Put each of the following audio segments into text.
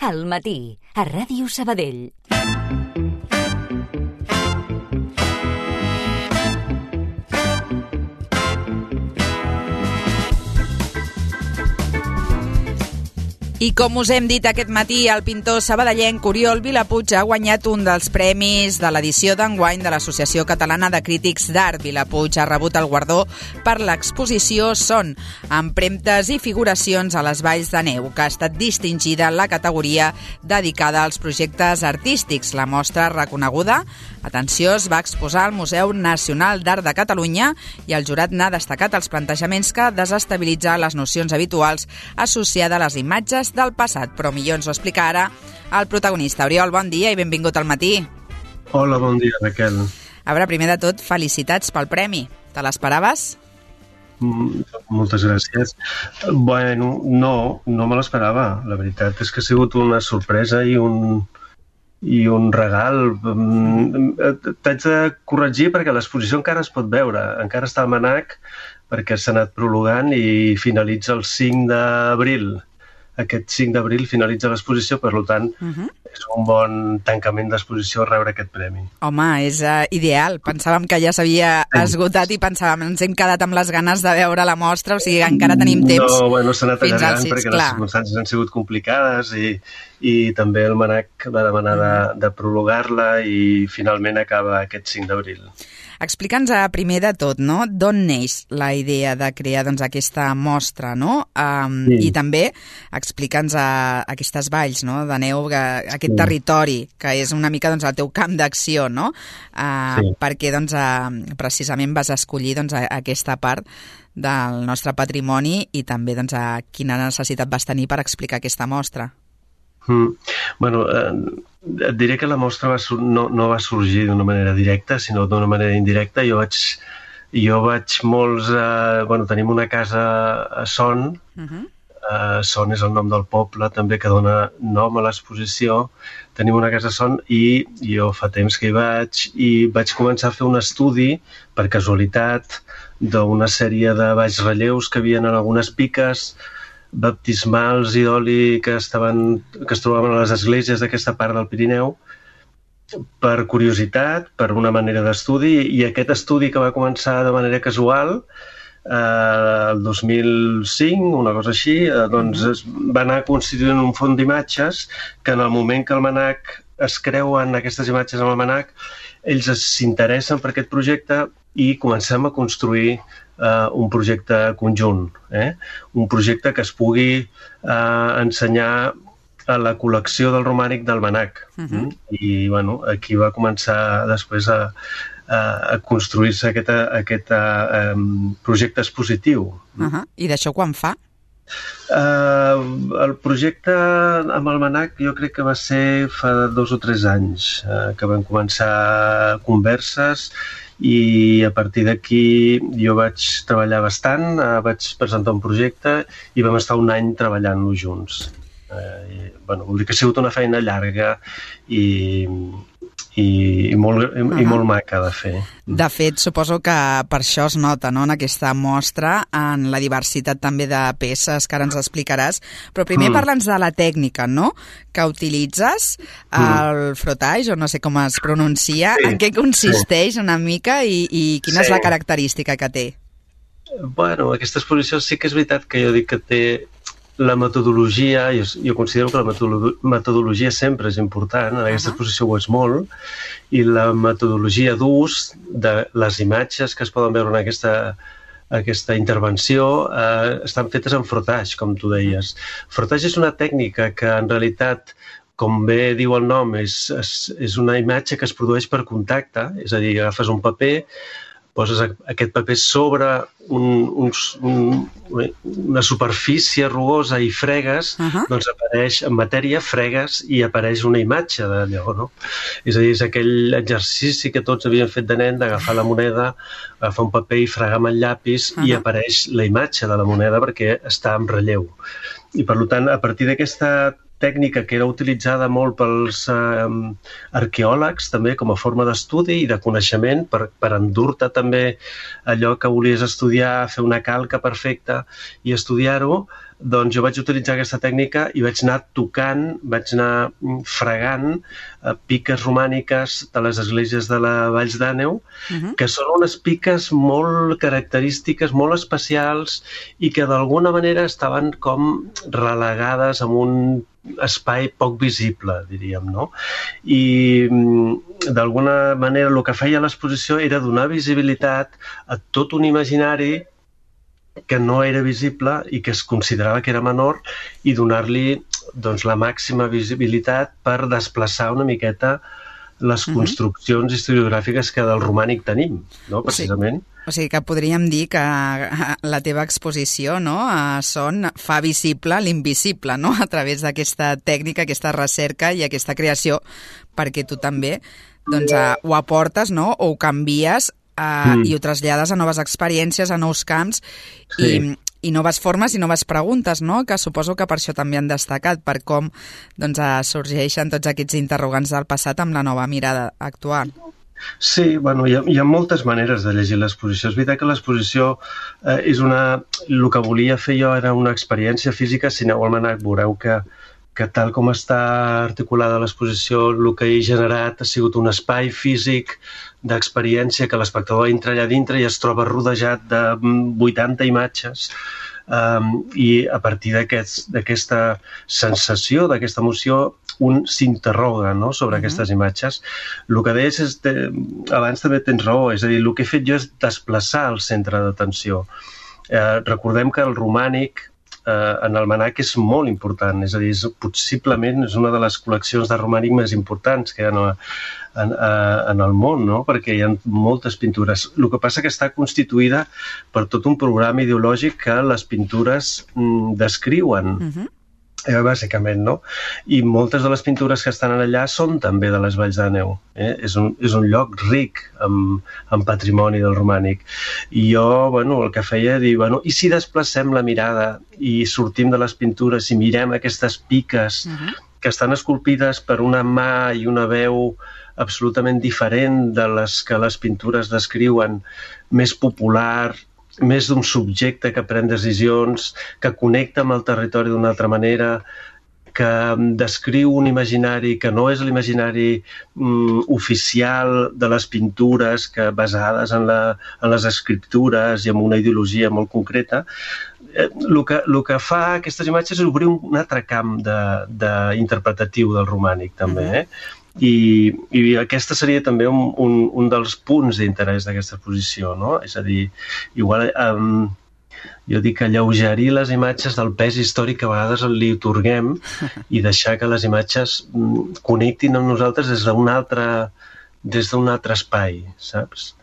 Al matí, a Ràdio Sabadell. I com us hem dit aquest matí, el pintor sabadellenc Oriol Vilapuig ha guanyat un dels premis de l'edició d'enguany de l'Associació Catalana de Crítics d'Art. Vilapuig ha rebut el guardó per l'exposició Son, empremtes i figuracions a les valls de neu, que ha estat distingida en la categoria dedicada als projectes artístics. La mostra reconeguda, atenció, es va exposar al Museu Nacional d'Art de Catalunya i el jurat n'ha destacat els plantejaments que desestabilitzen les nocions habituals associades a les imatges del passat, però millor ens ho explica ara el protagonista. Oriol, bon dia i benvingut al matí. Hola, bon dia, Raquel. A veure, primer de tot, felicitats pel premi. Te l'esperaves? Moltes gràcies. Bueno, no me l'esperava. La veritat és que ha sigut una sorpresa i un regal. T'haig de corregir perquè l'exposició encara es pot veure. Encara està al MNAC perquè s'ha anat prolongant i finalitza el 5 d'abril. Aquest 5 d'abril finalitza l'exposició, per tant, és un bon tancament d'exposició rebre aquest premi. Home, és ideal. Pensàvem que ja s'havia esgotat i pensàvem, ens hem quedat amb les ganes de veure la mostra, o sigui, encara tenim temps. No, bueno, s'ha anat allargant perquè les circumstàncies han sigut complicades i també el MNAC va demanar de prolongar-la i finalment acaba aquest 5 d'abril. Explica'ns primer de tot, no?, d'on neix la idea de crear aquesta mostra, no? I també explica'ns aquestes valls, no?, de neu, aquest territori, que és una mica el teu camp d'acció, no? Perquè precisament vas escollir aquesta part del nostre patrimoni i també quina necessitat vas tenir per explicar aquesta mostra. Bueno, et diré que la mostra no va sorgir d'una manera directa, sinó d'una manera indirecta. Jo vaig molts... tenim una casa a Son. Son és el nom del poble, també, que dona nom a l'exposició. Tenim una casa a Son i jo fa temps que hi vaig començar a fer un estudi, per casualitat, d'una sèrie de baix relleus que havien en algunes piques baptismals i d'oli que es trobaven a les esglésies d'aquesta part del Pirineu, per curiositat, per una manera d'estudi, i aquest estudi que va començar de manera casual el 2005, una cosa així, es va anar constituint un font d'imatges que en el moment que el MNAC es creuen aquestes imatges amb el MNAC, ells s'interessen per aquest projecte i comencem a construir un projecte conjunt, un projecte que es pugui ensenyar a la col·lecció del romànic del MNAC. I aquí va començar després a construir-se aquest projecte expositiu. I d'això quan fa? El projecte amb el MNAC jo crec que va ser fa 2 o 3 anys que vam començar converses i a partir d'aquí jo vaig treballar bastant, vaig presentar un projecte i vam estar un any treballant-lo junts. Vol dir que ha sigut una feina llarga i molt maca de fer. De fet, suposo que per això es nota, no?, en aquesta mostra, en la diversitat també de peces que ara ens explicaràs. Però primer parla'ns de la tècnica, no?, que utilitzes, el frottage, o no sé com es pronuncia, en què consisteix una mica i quina és la característica que té? Bueno, aquesta exposició sí que és veritat que jo dic que té la metodologia, jo considero que la metodologia sempre és important, en aquesta exposició ho és molt, i la metodologia d'ús de les imatges que es poden veure en aquesta intervenció estan fetes en frottage, com tu deies. Frottage és una tècnica que en realitat, com bé diu el nom, és una imatge que es produeix per contacte, és a dir, agafes un paper, poses aquest paper sobre una superfície rugosa i fregues, doncs apareix en matèria, fregues i apareix una imatge d'allò, no? És a dir, és aquell exercici que tots havien fet de nen d'agafar la moneda, agafar un paper i fregar amb el llapis i apareix la imatge de la moneda perquè està en relleu. I per tant, a partir d'aquesta tècnica que era utilitzada molt pels arqueòlegs també com a forma d'estudi i de coneixement per endur-te també allò que volies estudiar, fer una calca perfecta i estudiar-ho, doncs jo vaig utilitzar aquesta tècnica i vaig anar tocant, vaig anar fregant piques romàniques de les esglésies de la Valls d'Àneu, que són unes piques molt característiques, molt especials i que d'alguna manera estaven com relegades en un espai poc visible, diríem, no? I d'alguna manera el que feia l'exposició era donar visibilitat a tot un imaginari que no era visible i que es considerava que era menor i donar-li doncs, la màxima visibilitat per desplaçar una miqueta les construccions historiogràfiques que del romànic tenim, no? Precisament. O sigui que podríem dir que la teva exposició, no, fa visible l'invisible, no?, a través d'aquesta tècnica, aquesta recerca i aquesta creació, perquè tu també doncs, ho aportes, no?, o ho canvies i ho trasllades a noves experiències, a nous camps i noves formes i noves preguntes, no?, que suposo que per això també han destacat, per com doncs, sorgeixen tots aquests interrogants del passat amb la nova mirada actual. Sí, bueno, hi ha moltes maneres de llegir l'exposició. És veritat que l'exposició és el que volia fer jo era una experiència física. Si aneu al MNAC veureu que tal com està articulada l'exposició, el que he generat ha sigut un espai físic d'experiència que l'espectador entra allà dintre i es troba rodejat de 80 imatges i a partir d'aquesta sensació, d'aquesta emoció, un s'interroga, no?, sobre aquestes imatges. El que deies és, abans també tens raó, és a dir, el que he fet jo és desplaçar el centre d'atenció. Recordem que el romànic en el MNAC és molt important, és a dir, possiblement és una de les col·leccions de romànic més importants que hi ha en el món, no?, perquè hi ha moltes pintures. El que passa que està constituïda per tot un programa ideològic que les pintures descriuen, bàsicament, no? I moltes de les pintures que estan allà són també de les Valls d'Àneu. És un lloc ric en patrimoni del romànic. I jo, bueno, el que feia, dir, bueno, i si desplacem la mirada i sortim de les pintures i mirem aquestes piques que estan esculpides per una mà i una veu absolutament diferent de les que les pintures descriuen, més popular, més d'un subjecte que pren decisions, que connecta amb el territori d'una altra manera, que descriu un imaginari que no és l'imaginari oficial de les pintures basades en les escriptures i en una ideologia molt concreta. El que fa aquestes imatges és obrir un altre camp interpretatiu del romànic, també, I aquesta seria també un dels punts d'interès d'aquesta exposició, no? És a dir, igual jo dic alleugerir les imatges del pes històric que a vegades li atorguem i deixar que les imatges connectin amb nosaltres des d'un altre espai, saps?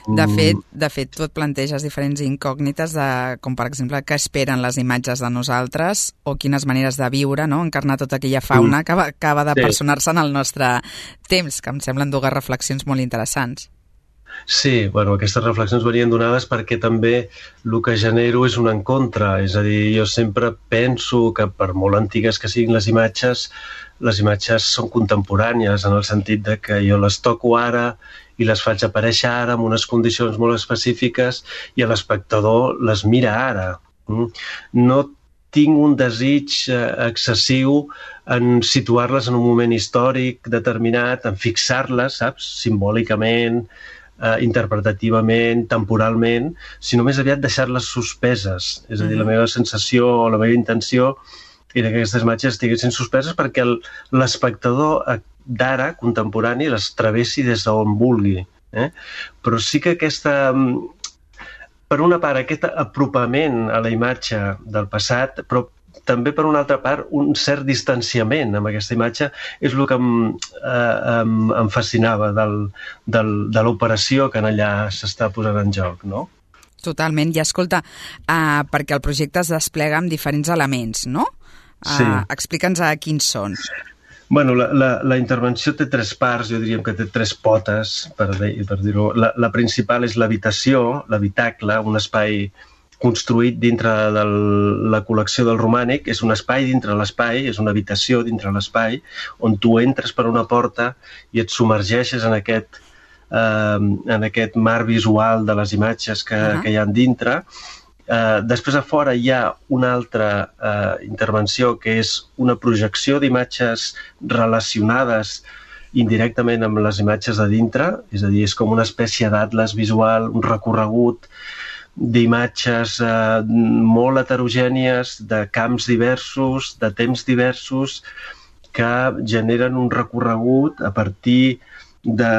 De fet, tu et planteges diferents incògnites com, per exemple, què esperen les imatges de nosaltres o quines maneres de viure, no?, encarnar tota aquella fauna que acaba de personar-se en el nostre temps, que em semblen dues reflexions molt interessants. Sí, bueno, aquestes reflexions venien donades perquè també el que genero és un encontre, és a dir, jo sempre penso que per molt antigues que siguin les imatges són contemporànies en el sentit de que jo les toco ara i les faig aparèixer ara en unes condicions molt específiques i l'espectador les mira ara. No tinc un desig excessiu en situar-les en un moment històric determinat, en fixar-les, saps, simbòlicament, interpretativament, temporalment, sinó més aviat deixar-les suspeses. És a dir, la meva sensació o la meva intenció era que aquestes imatges estiguessin suspeses perquè l'espectador d'ara, contemporani, les travessi des d'on vulgui. Però sí que per una part, aquest apropament a la imatge del passat, però també per una altra part un cert distanciament amb aquesta imatge és el que em fascinava de l'operació que allà s'està posant en joc, no? Totalment. I escolta, perquè el projecte es desplega amb diferents elements, no? Sí. Explica'ns quins són. Bueno, la intervenció té tres parts, jo diríem que té tres potes, per dir-ho. La principal és l'habitació, l'habitacle, un espai construït dintre de la col·lecció del romànic. És un espai dintre l'espai, és una habitació dintre l'espai, on tu entres per una porta i et submergeixes en aquest mar visual de les imatges que hi ha dintre. Després a fora hi ha una altra intervenció que és una projecció d'imatges relacionades indirectament amb les imatges de dintre, és a dir, és com una espècie d'atles visual, un recorregut d'imatges molt heterogènies, de camps diversos, de temps diversos, que generen un recorregut a partir de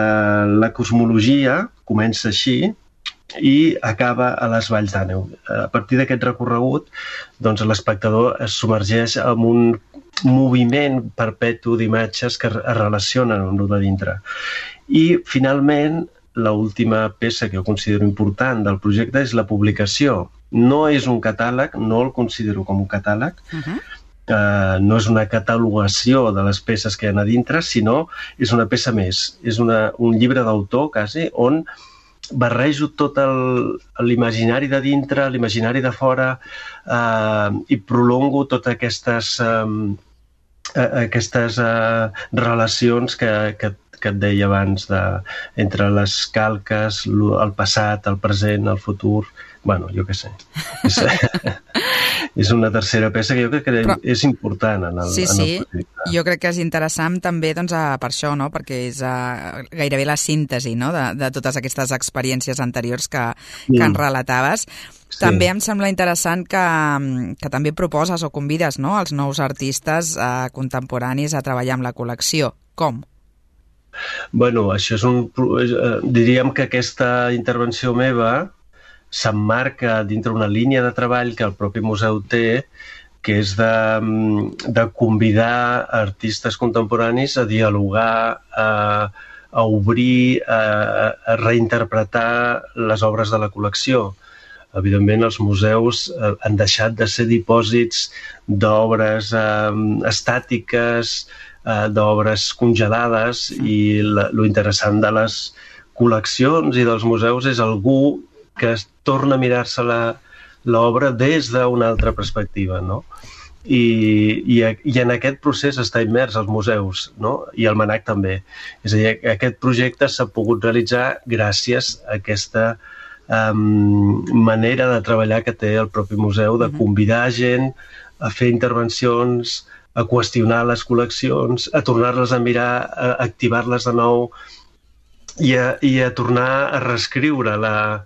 la cosmologia, comença així, i acaba a les Valls d'Àneu. A partir d'aquest recorregut, doncs, l'espectador es submergeix en un moviment perpetu d'imatges que es relacionen amb el de dintre. I, finalment, l'última peça que jo considero important del projecte és la publicació. No és un catàleg, no el considero com un catàleg, no és una catalogació de les peces que hi ha a dintre, sinó és una peça més. És un llibre d'autor, quasi, on barrejo tot l'imaginari de dintre, l'imaginari de fora, i prolongo totes aquestes relacions que et deia abans, entre les calques, el passat, el present, el futur. Bueno, jo què sé. És una tercera peça que jo crec que és important en el projecte. Jo crec que és interessant també per això, no? Perquè és gairebé la síntesi, no? de totes aquestes experiències anteriors que en relataves. Sí. També em sembla interessant que també proposes o convides, no? els nous artistes contemporanis a treballar amb la col·lecció. Com? Bueno, això és diríem que aquesta intervenció meva s'emmarca dintre una línia de treball que el propi museu té, que és de convidar artistes contemporanis a dialogar, a obrir, a reinterpretar les obres de la col·lecció. Evidentment, els museus han deixat de ser dipòsits d'obres estàtiques, d'obres congelades, i lo interessant de les col·leccions i dels museus és algú que es torna a mirar-se l'obra des d'una altra perspectiva, no? I en aquest procés està immers als museus, no? I el MNAC també. És a dir, aquest projecte s'ha pogut realitzar gràcies a aquesta manera de treballar que té el propi museu, de convidar gent a fer intervencions, a qüestionar les col·leccions, a tornar-les a mirar, a activar-les de nou i a tornar a reescriure la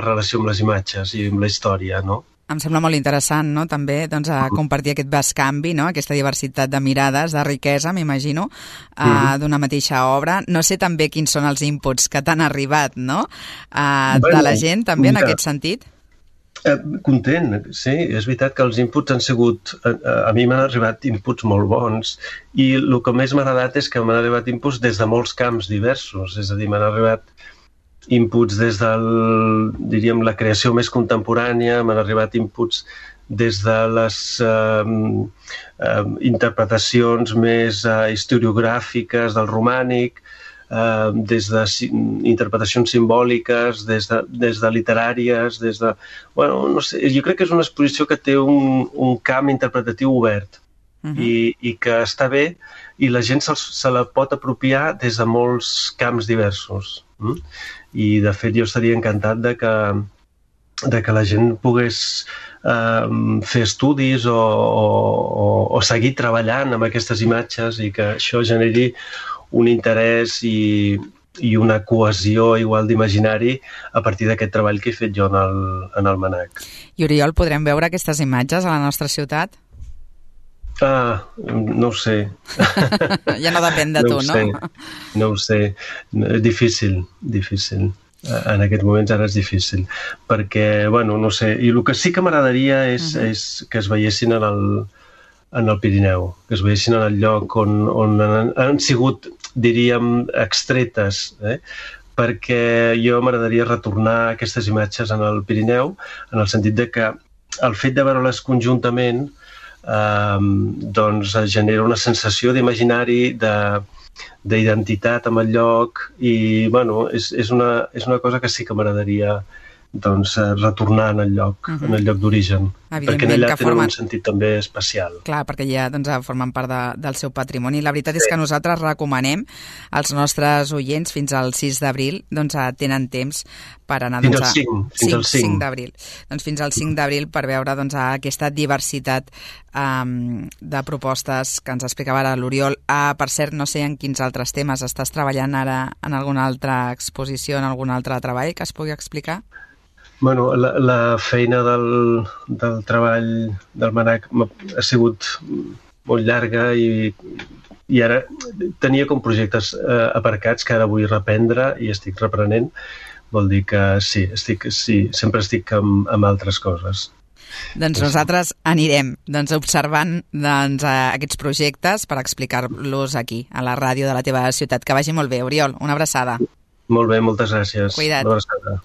relació amb les imatges i amb la història, no? Em sembla molt interessant, no?, també compartir aquest bescanvi, no?, aquesta diversitat de mirades, de riquesa, m'imagino, d'una mateixa obra. No sé també quins són els inputs que t'han arribat, no?, de la gent, també, en aquest sentit. Content, sí. És veritat que els inputs han sigut... A mi m'han arribat inputs molt bons, i el que més m'ha agradat és que m'han arribat inputs des de molts camps diversos. És a dir, m'han arribat inputs des de, diríem, la creació més contemporània, m'han arribat inputs des de les interpretacions més historiogràfiques del romànic, des d'interpretacions simbòliques, des de literàries, des de... Bueno, no sé, jo crec que és una exposició que té un camp interpretatiu obert i que està bé, i la gent se la pot apropiar des de molts camps diversos. I, de fet, jo estaria encantat de que la gent pogués fer estudis o seguir treballant amb aquestes imatges, i que això generi un interès i una cohesió igual d'imaginari a partir d'aquest treball que he fet jo en el MNAC. I, Oriol, podrem veure aquestes imatges a la nostra ciutat? No ho sé. Ja no depèn de tu, no? No ho sé. Difícil. En aquests moments ara és difícil. Perquè, bueno, no sé. I el que sí que m'agradaria és que es veiessin en el Pirineu, que es veiessin en el lloc on han sigut, diríem, extretes, perquè jo m'agradaria retornar aquestes imatges en el Pirineu, en el sentit de que el fet de veure-les conjuntament doncs genera una sensació d'imaginari, d'identitat amb el lloc, i bueno, és una cosa que sí que m'agradaria retornar en el lloc, en el lloc d'origen, perquè allà tenen un sentit també especial. Clar, perquè ja formen part del seu patrimoni. La veritat és que nosaltres recomanem als nostres oients fins al 6 d'abril, tenen temps per anar... Fins al 5 d'abril. Doncs fins al 5 d'abril per veure aquesta diversitat de propostes que ens explicava ara l'Oriol. Per cert, no sé en quins altres temes estàs treballant ara, en alguna altra exposició, en algun altre treball que es pugui explicar? Bueno, la feina del treball del MANAC ha sigut molt llarga i ara tenia com projectes aparcats que ara vull reprendre i estic reprenent. Vol dir que sí, sempre estic amb altres coses. Doncs nosaltres anirem observant aquests projectes per explicar-los aquí, a la ràdio de la teva ciutat. Que vagi molt bé, Oriol. Una abraçada. Molt bé, moltes gràcies. Cuida't. Una abraçada.